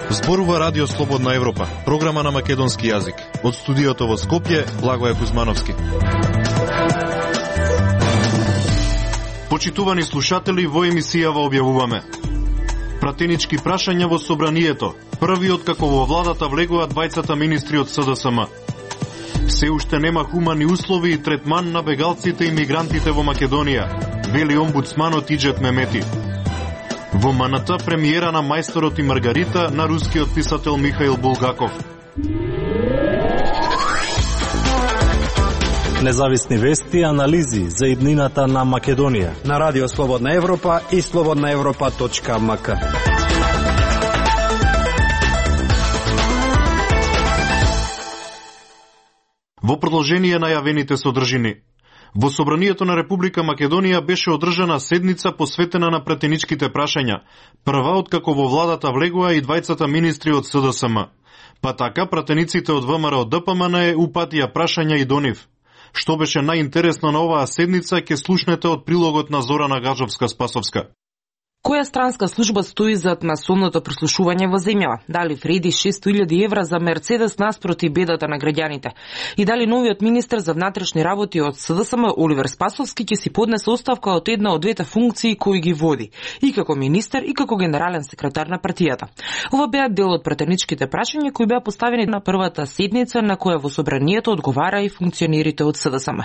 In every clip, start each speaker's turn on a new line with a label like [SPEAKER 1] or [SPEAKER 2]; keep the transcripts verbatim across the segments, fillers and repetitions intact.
[SPEAKER 1] Зборува Радио Слободна Европа, програма на македонски јазик. Од студиото во Скопје, Благоје Кузмановски. Почитувани слушатели, во емисијава објавуваме пратенички прашања во собранието, првиот како во владата влегува двајцата министри од С Д С М. Се уште нема хумани услови и третман на бегалците и мигрантите во Македонија, вели омбудсманот Иџет Мемети. Во М Н Т премиера на Мајсторот и Маргарита на рускиот писател Михаил Булгаков.
[SPEAKER 2] Независни вести и анализи за иднината на Македонија
[SPEAKER 3] на Радио Слободна Европа и слободна европа точка м к.
[SPEAKER 1] Во продолжение на јавените содржини. Во Собранието на Република Македонија беше одржана седница посветена на пратеничките прашања, прва откако во владата влегува и двајцата министри од С Д С М. Па така пратениците од В М Р Д П М Н упатија прашања и до нив. Што беше најинтересно на оваа седница ќе слушнете од прилогот на Зорана Гажовска-Спасовска.
[SPEAKER 4] Која странска служба стои зад масовното прислушување во земјава? Дали вреди шестоста илјади евра за Мерцедес наспроти бедата на граѓаните? И дали новиот министер за внатрешни работи од С Д С М Оливер Спасовски ќе си поднесе оставка од една од двете функции кои ги води, и како министер и како генерален секретар на партијата? Ова беа дел од пратеничките прашања кои беа поставени на првата седница на која во собранието одговара и функционерите од С Д С М.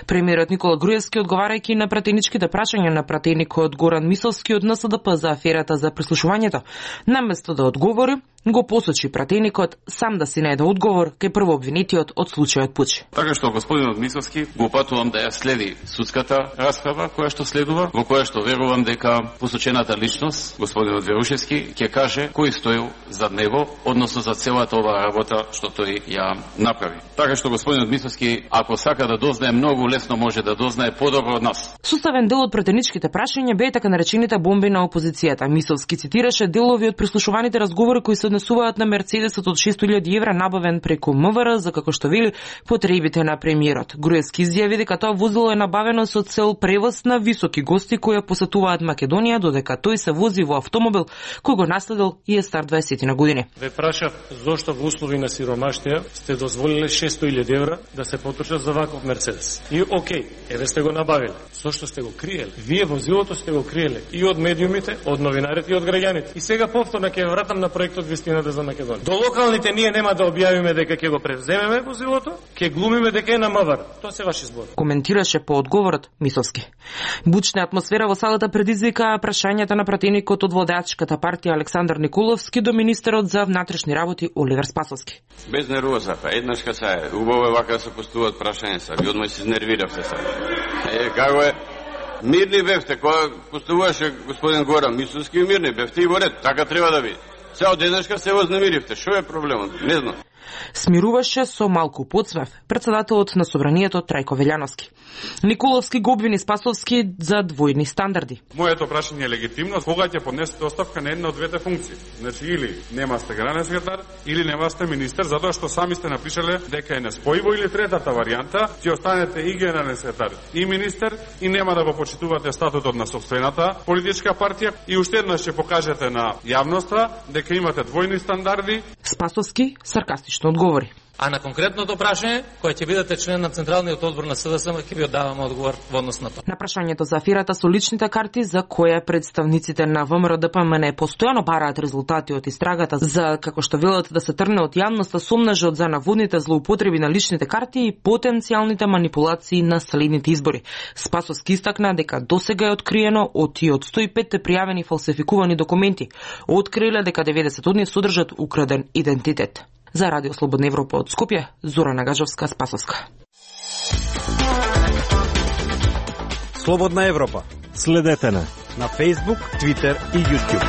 [SPEAKER 4] Премиерот Никола Груевски, одговарајќи на пратеничките прашања на пратеникот Горан Мисовски од Н С Д П за аферата за прислушувањето, наместо да одговори, го посочи пратеникот сам да си најде одговор кај првообвинетиот од случајот Пуч.
[SPEAKER 5] Така што господинот Мисовски го упатувам да ја следи судската расправа која што следува, во која што верувам дека посочената личност, господинот Верушевски, ќе каже кој стоил зад него, односно за целата оваа работа што тој ја направи. Така што господинот Мисовски, ако сака да дознае многу лесно, може да дознае подобро од нас.
[SPEAKER 4] Суставен дел од пратеничките прашања беа така наречените бомби на опозицијата. Мисовски цитираше делови од прислушуваните разговори кои се однесуваат на Мерцедесот од шестоста илјади евра набавен преку М В Р за, како што вели, потребите на премиерот. Груевски изјави дека тоа возило е набавено со цел превоз на високи гости кои посетуваат Македонија, додека тој се вози во автомобил кој го наследил и е стар дваесет на години.
[SPEAKER 6] Ве прашав зошто во услови на сиромаштија сте дозволиле шестоста илјади евра да се потрчат за ваков Мерцедес. И окей, еве сте го набавиле. Зошто сте го криеле? Вие возилото сте го криеле и од медиумите, од новинарите и од граѓаните. И сега повторно ќе вратам на проектот Вистината за Македонија. До локалните ние нема да објавиме дека ќе го превземеме возилото, ќе глумиме дека е на М В Р. Тоа се ваш избор.
[SPEAKER 4] Коментираше по одговорот Мисовски. Бучна атмосфера во салата предизвика прашањата на пратеникот од владеачката партија Александар Николовски до министерот за внатрешни работи Оливер Спасовски.
[SPEAKER 7] Без нервоза, па еднашка са е. Убаво е вака да се постуваат прашања са. Ви одма се изнервиравте са. Е, како е? Мирни бевте, кога постуваше господин Горан Мисовски, мирни бевте и во ред. Така треба да биде. Се од еднашка се вознемиривте. Шо е проблемот? Не знам.
[SPEAKER 4] Смируваше со малку подсмев претседателот на собранието Трајко Велјановски. Николовски го обвини Спасовски за двојни стандарди.
[SPEAKER 8] Моето прашање е легитимно, кога ќе поднесете оставка на една од двете функции. Значи или нема сте генерален секретар, или нема сте министер, затоа што сами сте напишале дека е неспојиво, или третата варијанта, ќе останете и генерален секретар, и министер, и нема да го почитувате статутот на сопствената политичка партија, и уште еднаш ќе покажете на јавноста дека имате двојни стандарди.
[SPEAKER 4] Спасовски саркастично одговори.
[SPEAKER 9] А на конкретното прашање, кој ќе бидете член на Централниот одбор на С Д С М, ќе ви оддаваме одговор во однос на тоа.
[SPEAKER 4] На прашањето за аферата со личните карти, за која представниците на В М Р Д П М Н постојано бараат резултати од истрагата за, како што велат, да се трне од јавноста сомнажот за наводните злоупотреби на личните карти и потенцијалните манипулации на следните избори. Спасовски истакна дека досега е откриено од и од сто и пет пријавени фалсификувани документи. Откриле дека деветдесет од нив содржат украден идентитет. За Радио Слободна Европа од Скопје, Зорана Гажовска-Спасовска.
[SPEAKER 3] Слободна Европа.
[SPEAKER 2] Следете на
[SPEAKER 3] на Facebook, Twitter и YouTube.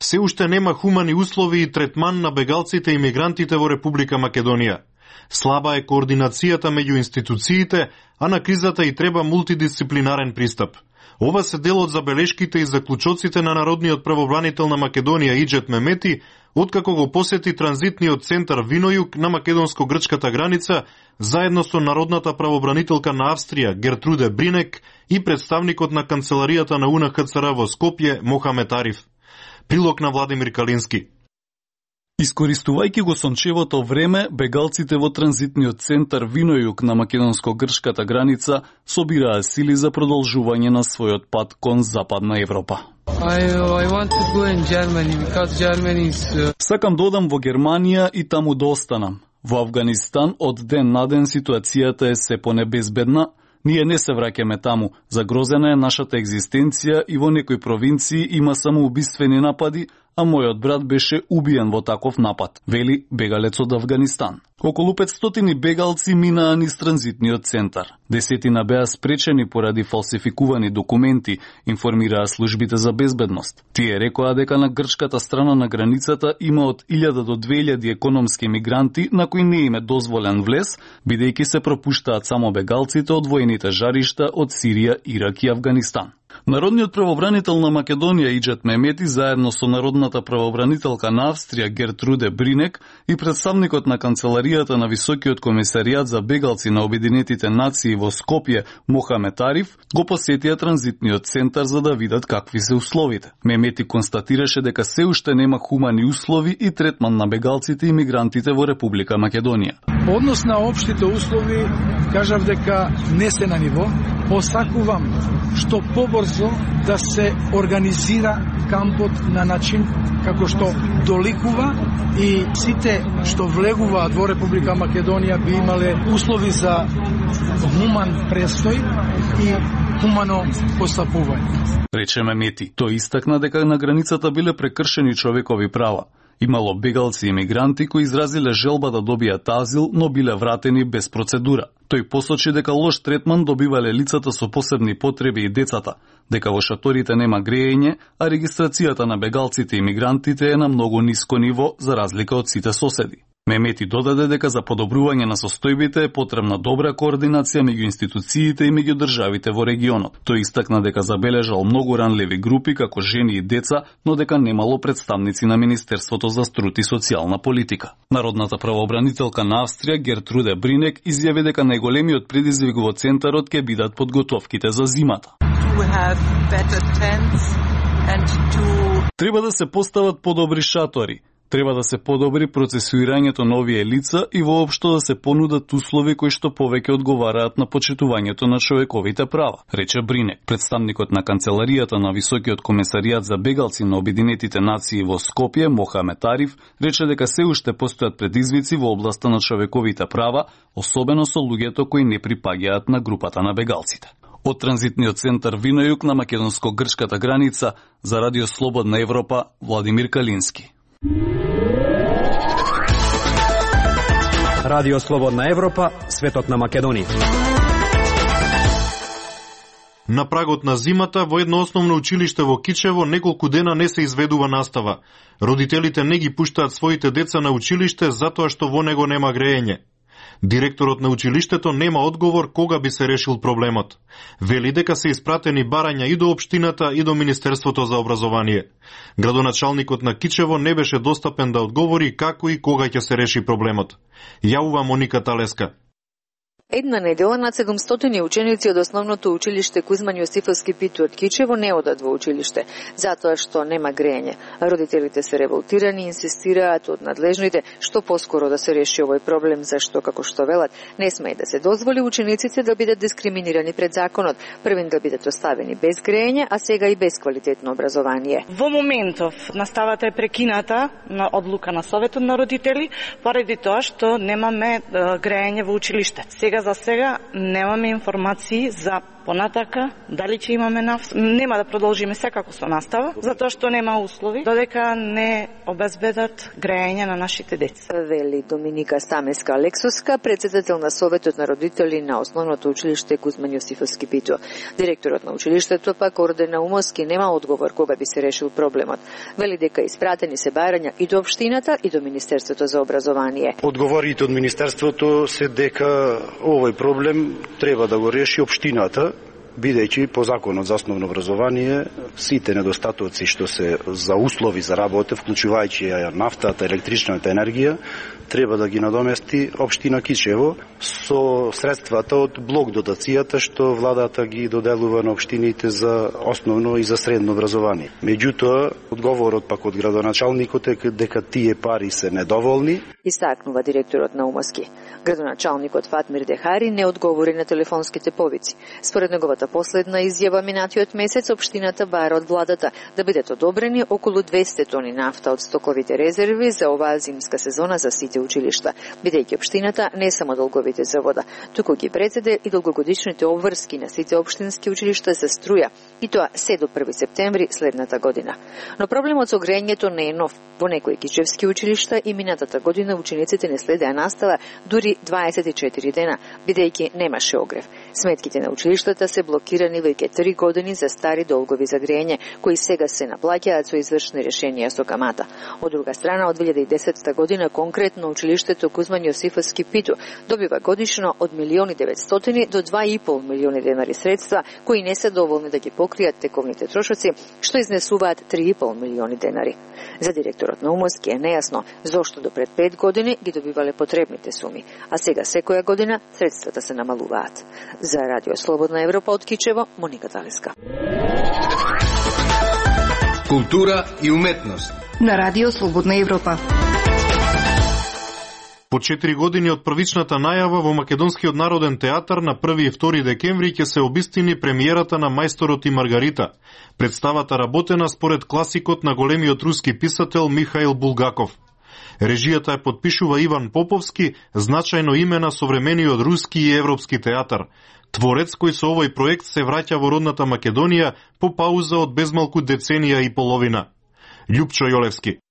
[SPEAKER 1] Се уште нема хумани услови и третман на бегалците и мигрантите во Република Македонија. Слаба е координацијата меѓу институциите, а на кризата и треба мултидисциплинарен пристап. Ова се дел од забелешките и заклучоците на народниот правобранител на Македонија Иџет Мемети, откако го посети транзитниот центар Винојук на македонско-грчката граница, заедно со народната правобранителка на Австрија Гертруде Бринек и представникот на канцеларијата на У Н Х Ц Р во Скопје Мохамет Ариф. Прилог на Владимир Калински.
[SPEAKER 10] Искористувајќи го сончевото време, бегалците во транзитниот центар Винојук на македонско-грчката граница собираа сили за продолжување на својот пат кон Западна Европа.
[SPEAKER 11] I, I want to go in Germany because Germany is... Uh...
[SPEAKER 10] Сакам да одам во Германија и таму да останам. Во Авганистан од ден на ден ситуацијата е се понебезбедна. Ние не се враќаме таму. Загрозена е нашата екзистенција и во некои провинции има самоубиствени напади, а мојот брат беше убиен во таков напад, вели бегалец од Авганистан. Околу петстотини бегалци минаа низ транзитниот центар. Десетина беа спречени поради фалсификувани документи, информираа службите за безбедност. Тие рекоа дека на грчката страна на границата има од илјада до две илјади економски мигранти на кои не им е дозволен влез, бидејќи се пропуштаат само бегалците од воените жаришта од Сирија, Ирак и Авганистан. Народниот правобранител на Македонија Иџет Мемети заедно со народната правобранителка на Австрија Гертруде Бринек и представникот на канцеларијата на Високиот комисаријат за бегалци на Обединетите нации во Скопје Мохамет Ариф го посетија транзитниот центар за да видат какви се условите. Мемети констатираше дека се уште нема хумани услови и третман на бегалците и мигрантите во Република Македонија.
[SPEAKER 12] Однос на општите услови, кажав дека не се на ниво. Посакувам што побрзо да се организира кампот на начин како што доликува и сите што влегуваат во Република Македонија би имале услови за хуман престој и хумано постапување.
[SPEAKER 10] Рече Мемети. Тој истакна дека на границата биле прекршени човекови права. Имало бегалци и мигранти кои изразиле желба да добијат азил, но биле вратени без процедура. Тој посочи дека лош третман добивале лицата со посебни потреби и децата, дека во шаторите нема грејење, а регистрацијата на бегалците и мигрантите е на многу ниско ниво за разлика од сите соседи. Мемети додаде дека за подобрување на состојбите е потребна добра координација меѓу институциите и меѓу државите во регионот. Тој истакна дека забележал многу ранливи групи како жени и деца, но дека немало представници на Министерството за труд и социјална политика. Народната правообранителка на Австрија Гертруде Бринек изјави дека најголемиот предизвик во центарот ќе бидат подготовките за зимата. Треба да се постават подобри шатори. Треба да се подобри процесуирањето на овие лица и воопшто да се понудат услови кои што повеќе одговараат на почитувањето на човековите права, рече Бринек. Представникот на канцеларијата на Високиот комисаријат за бегалци на Обединетите нации во Скопје Мохамет Ариф рече дека се уште постојат предизвици во областа на човековите права, особено со луѓето кои не припаѓаат на групата на бегалците. Од транзитниот центар Винојук на македонско-грчката граница за Радио Слободна Европа Владимир Калински.
[SPEAKER 3] Радио Слободна Европа, светот на Македонија.
[SPEAKER 1] На прагот на зимата во едно основно училиште во Кичево неколку дена не се изведува настава. Родителите не ги пуштаат своите деца на училиште затоа што во него нема грејење. Директорот на училиштето нема одговор кога би се решил проблемот. Вели дека се испратени барања и до општината и до Министерството за образование. Градоначалникот на Кичево не беше достапен да одговори како и кога ќе се реши проблемот. Јавува Моника Талеска.
[SPEAKER 13] Една недела над седумстотини ученици од основното училиште Кузман Јосифовски Питу од Кичево не одат во училиште, затоа што нема грејење. Родителите се револтирани и инсистираат од надлежните што поскоро да се реши овој проблем, зашто, како што велат, не сме и да се дозволи учениците да бидат дискриминирани пред законот, првин да бидат оставени без грејење, а сега и без квалитетно образование.
[SPEAKER 14] Во моментов наставата е прекината на одлука на Советот на родители, поради тоа што немаме грејење во училиште. Сега за сега немаме информации за понатака, дали ќе имаме наф... нема да продолжиме секако со настава, затоа што нема услови, додека не обезбедат грејење на нашите деца.
[SPEAKER 13] Вели Доминика Стамеска Алексовска, председател на Советот на родители на основното училиште Кузман Јосифовски Питу. Директорот на училиштето пак Орден Наумовски нема одговор кога би се решил проблемот. Вели дека испратени се барања и до општината и до Министерството за образование.
[SPEAKER 15] Одговорите од Министерството се дека овој проблем треба да го реши општината бидејќи по законот за основно образование сите недостатоци што се за услови за работа, вклучувајќи ја нафтата, електричната енергија, треба да ги надомести општина Кичево со средствата од блок дотацијата што владата ги доделува на општините за основно и за средно образование. Меѓутоа, одговорот пак од градоначалникот е дека тие пари се недоволни.
[SPEAKER 13] Истакнува директорот на УМОСКИ. Градоначалникот Фатмир Дехари не одговори на телефонските повици. Според неговата последна изјава минатиот месец, општината бара од владата да бидат одобрени околу двесте тони нафта од стоковите резерви за оваа зимска сезона за сите училишта, бидејќи општината не само долговите за вода, туку ги председе и долгогодишните обврски на сите општински училишта за струја, и тоа се до први септември следната година. Но проблемот со грејењето не е нов. Во некои кичевски училишта и минатата година учениците не следеа настава дури дваесет и четири дена, бидејќи немаше огрев. Сметките на училиштата се блокирани веќе три години за стари долгови за грејење, кои сега се наплаќаат со извршни решенија со камата. Од друга страна, од две илјади и десета година конкретно училиштето Кузман Јосифовски Питу добива годишно од милиони и деветстотини до два и пол милиони денари средства, кои не се доволни да ги покријат тековните трошоци, што изнесуваат три и пол милиони денари. За директорот на УМОСКИ е нејасно зошто до пред пет години ги добивале потребните суми, а сега секоја година средствата се намалуваат. За Радио Слободна Европа од Кичево, Моника Талеска.
[SPEAKER 16] Култура и уметност
[SPEAKER 17] на Радио Слободна Европа.
[SPEAKER 1] По четири години од првичната најава во Македонскиот народен театар на први и втори декември ќе се обистини премиерата на Мајсторот и Маргарита. Представата работена според класикот на големиот руски писател Михаил Булгаков. Режијата ја подпишува Иван Поповски, значајно име на современиот руски и европски театар. Творец кој со овој проект се враќа во родната Македонија по пауза од безмалку деценија и половина. Љупчо Јолевски.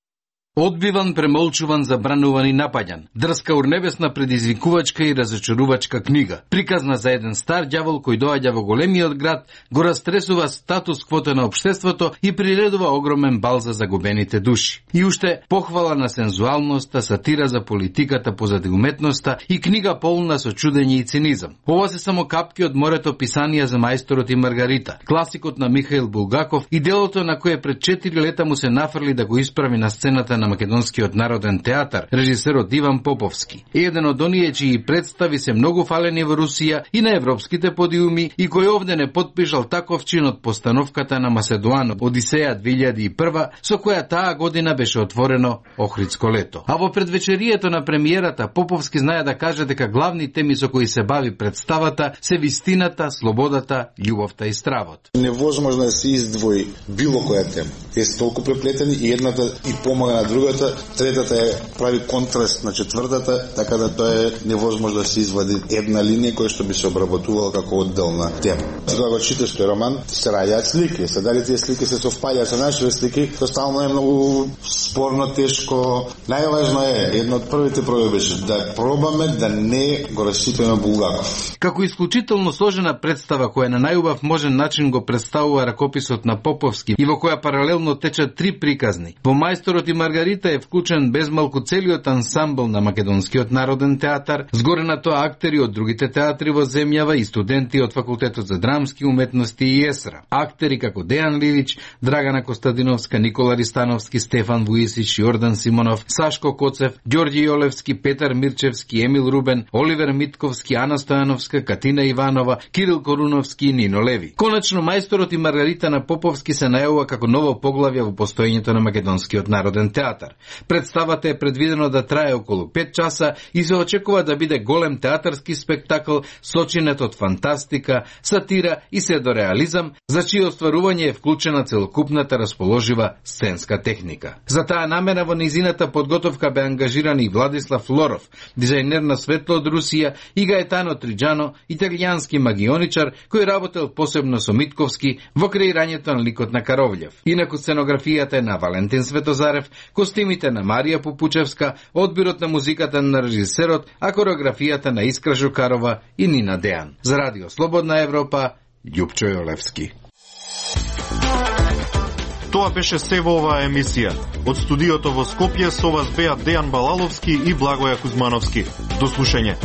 [SPEAKER 18] Одбиван, премолчуван, забрануван и напаѓан. Дрска урнебесна, предизвикувачка и разочарувачка книга. Приказна за еден стар ѓавол кој доаѓа во големиот град, го растресува статус квото на општеството и приредува огромен бал за загубените души. И уште похвала на сензуалноста, сатира за политиката позади уметноста и книга полна со чудење и цинизам. Ова се само капки од морето писанија за Мајсторот и Маргарита, класикот на Михаил Булгаков и делото на кое пред четири лета му се нафрли да го исправи на сцената на Македонскиот народен театар, режисерот Иван Поповски. Еден од оние чии представи се многу фалени во Русија и на европските подиуми и кој овде не подпишал таков чин од постановката на Маседоан Одисеја две илјади и прва, со која таа година беше отворено Охридско лето. А во предвечерието на премиерата Поповски знае да каже дека главни теми со кои се бави представата се вистината, слободата, љубовта и стравот.
[SPEAKER 19] Невозможно да се издвои било која тема. Те се толку преплетени и едната и помага на другата, третата е прави контраст на четвртата, така да тоа е невозможно да се извади една линија која што би се обработувала како одделна тема. Кога го читаш тој роман, се раѓаат слики. Се дали тие слики се совпаѓаат со нашите слики, тоа стално е многу спорно, тешко. Најважно е, едно од првите проби беше да пробаме да не го расипеме Булгаков.
[SPEAKER 18] Како исклучително сложена представа која на најубав можен начин го представува ракописот на Поповски и во која паралелно течат три приказни. Во Мајсторот и Маргарита е вклучен безмалку целиот ансамбл на Македонскиот народен театар, згоре на тоа актери од другите театри во земјава и студенти од Факултетот за драмски уметности и ЕСРА. Актери како Дејан Лилич, Драгана Костадиновска, Никола Ристановски, Стефан Вуисич, Јордан Симонов, Сашко Коцев, Ѓорѓи Јолевски, Петар Мирчевски, Емил Рубен, Оливер Митковски, Ана Стојановска, Катина Иванова, Кирил Коруновски и Нино Леви. Конечно, Мајсторот и Маргарита на Поповски се најавува како ново поглавје во постоењето на Македонскиот народен театар. Представата е предвидено да трае околу пет часа и се очекува да биде голем театарски спектакл сочинет од фантастика, сатира и седореализам, за чие остварување е вклучена целокупната расположива сценска техника. За таа намера во низината подготовка бе ангажиран и Владислав Лоров, дизајнер на светло од Русија, и Гаетано Триджано, италијански магионичар кој работел посебно со Митковски во креирањето на ликот на Каровљев. Инаку сценографијата е на Валентин Светозарев, костимите на Марија Попучевска, одбирот на музиката на режисерот, а кореографијата на Искра Жукарова и Нина Дејан. За Радио Слободна Европа, Љупчо Јолевски.
[SPEAKER 1] Тоа беше се во оваа емисија. Од студиото во Скопје со вас беа Дејан Балаловски и Благоја Кузмановски. До слушање.